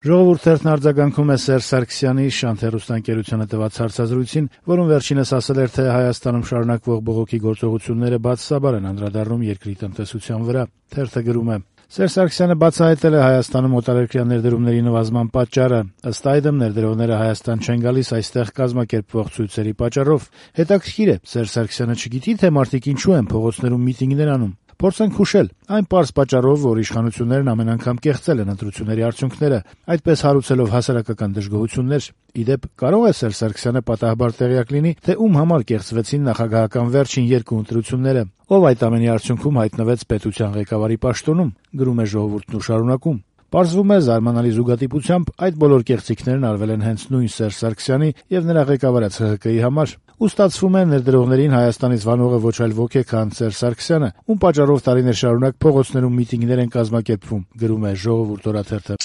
Ժողովուրդ թերթն արձագանքում է Սերժ Սարգսյանի Շանթ հեռուստաընկերությանը տված հարցազրույցին, որում վերջինս ասել էր, թե Հայաստանում շարունակվող բողոքի գործողությունները բացասաբար են անդրադառնում երկրի տնտեսության վրա։ Թերթը գրում է. Սերժ Սարգսյանը բացահայտել է Հայաստանում օտարերկրյա ներդրումների նվազման պատճառը։ Ըստ այդմ, ներդրողները Հայաստան չեն գալիս այստեղ կազմակերպվող ցույցերի պատճառով։ Հետաքրքիր է, Սերժ Սարգսյանը չգիտի, թե մարդիկ ինչու են փողոցներում միտինգներ անում։ Փորձենք հուշել, այն պարզ պատճառով, որ իշխանություններն ամեն անգամ կեղծել են ընտրությունների արդյունքները, այդպես հարուցելով հասարակական դժգոհություններ։ Ի դեպ, կարող է Սերժ Սարգսյանը պատահաբար տեղյակ լինի, թե ում համար կեղծվեցին նախագահական վերջին երկու ընտրությունները, ով այդ ամենի արդյունքում հայտնվեց պետության ղեկավարի պաշտոնում, գրում է Ժողովուրդն ու շարունակում. Պարզվում է զարմանալի զուգադիպությամբ այդ բոլոր կեղծիքներն արվել են հենց նույն Սերժ Սարգսյանի եւ նրա ղեկավարած ՀՀԿ-ի համար, ու ստացվում է ներդրողներին Հայաստանից վանողը ոչ այլ ոք է, քան Սերժ Սարգսյանը, ում պատճառով տարիներ շարունակ փողոցներում միտինգներ են կազմակերպվում, գրում է Ժողովուրդ օրաթերթը։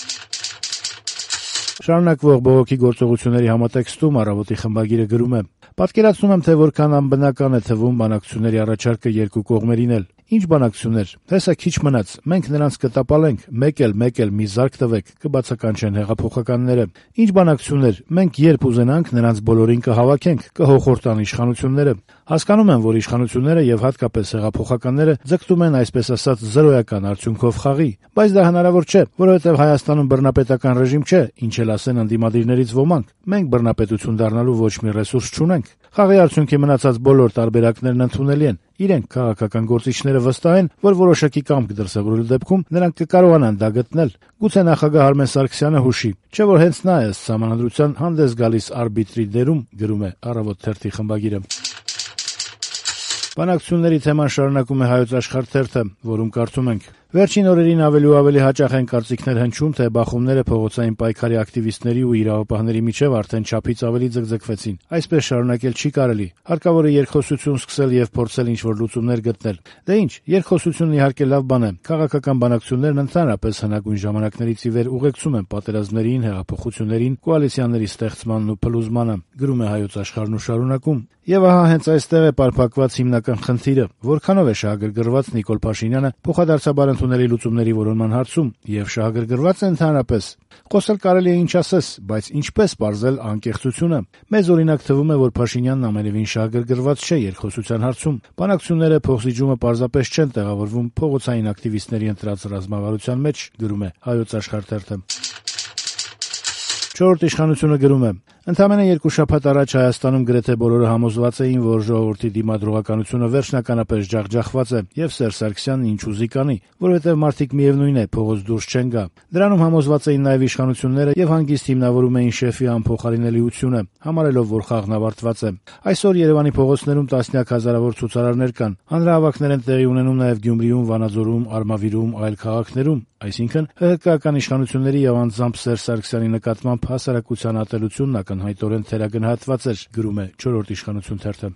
Շարունակվող բողոքի գործողությունների համատեքստում Առավոտի խմբագիրը գրում է. Պատկերացնում եմ, թե որքան անբնական է թվում բանակցությունների առաջարկը երկու կողմերին էլ։ Ինչ բանակցություններ, հեսա քիչ մնաց, մենք նրանց կտապալենք, մեկ էլ մի զարկ տվեք, կբացականչեն հեղափոխականները։ Ինչ բանակցություններ, մենք երբ ուզենանք նրանց բոլորին կհավաքենք, կհոխորտան իշխանությունները։ Հասկանում եմ, որ իշխանությունները եւ հատկապես հեղափոխականները ձգտում են այսպես ասած զրոյական արդյունքով խաղի, բայց դա հնարավոր չէ, որովհետեւ Հայաստանում բռնապետական ռեժիմ չէ, ինչ էլ ասեն անդիմադիրներից ոմանք։ Մենք բռնապետություն դառնալու ոչ մի ռեսուրս չունենք։ Խաղի արդյունքի մնացած բոլոր տարբերակներն ընդունելի են։ Իրենք քաղաքական գործիչները վստահ են, որ որոշակի կամք դրսևորելու դեպքում նրանք կկարողանան դա գտնել։ Գուցե նախագահ Արմեն Սարգսյանը հուշի, չէ՞ որ հենց նա է ըստ սահմանադրության հանդես գալիս արբիտրի դերում, գրում է Առավոտ թերթի խմբագիրը։ Բանակցությունների թեման շարունակում է Հայոց Աշխարհ թերթը, որում կարդում ենք. Վերջին օրերին ավելի ու ավելի հաճախ են կարծիքներ հնչում, թե բախումները փողոցային պայքարի ակտիվիստների ու իրավապահների միջև արդեն չափից ավելի ձգձգվեցին։ Այսպես շարունակել չի կարելի։ Հարկավոր է երկխոսություն սկսել եւ փորձել ինչ-որ լուծումներ գտնել։ Դե ինչ, երկխոսությունն իհարկե լավ բան է։ Քաղաքական բանակցություններն ընդհանրապես հնագույն ժամանակներից ի վեր ուղեկցում են պատերազմներին, հեղափոխություններին, կոալիցիաների ստեղծմանն ու փլուզմանը, գրում է Հայոց Աշխարհն ու շարունակում. Եվ ահա հենց այստեղ է պարփակված հիմնական խնդիրը, որքանով է շահագրգռված Նիկոլ Փաշինյանը փոխադարձաբար ընդունելի լուծումների որոնման հարցում, եւ շահագրգռված է ընդհանրապես։ Խոսել կարելի է ինչ ասես, բայց ինչպես պարզել անկեղծությունը։ Մեզ օրինակ թվում է, որ Փաշինյանն ամենևին շահագրգռված չէ երկխոսության հարցում։ Բանակցությունները փոխզիջումը պարզապես չեն տեղավորվում փողոցային ակտիվիստների ընտրած ռազմավարության մեջ, գրում է Հայոց Աշխարհ թերթը։ Չորրորդ իշխանությունը գրում է. Ընդամենը 2 շաբաթ առաջ Հայաստանում գրեթե բոլորը համոզված էին, որ ժողովրդի դիմադրողականությունը վերջնականապես ջախջախված է, եւ Սերժ Սարգսյանն ինչ ուզի կանի, որովհետեւ մարդիկ միևնույն է փողոց դուրս չեն գա։ Դրանում համոզված էին նաեւ իշխանությունները եւ հանգիստ հիմնավորում էին շեֆի անփոխարինելիությունը, համարելով, որ խաղն ավարտված է։ Այսօր Երևանի փողոցներում տասնյակ հազարավոր ցուցարարներ կան։ Հանրահավաքներ են տեղի ունենում նաեւ Գյումրիում, Վանաձորում, Արմավիրում, այլ քաղաքներում, այսինքն ՀՀԿ-ական իշխանությունների եւ անձամբ Սերժ Սարգսյանի նկատմամբ հասարակության ատելությունն ակնհայտորեն թերագնահատված էր, գրում է Չորրորդ իշխանություն թերթը։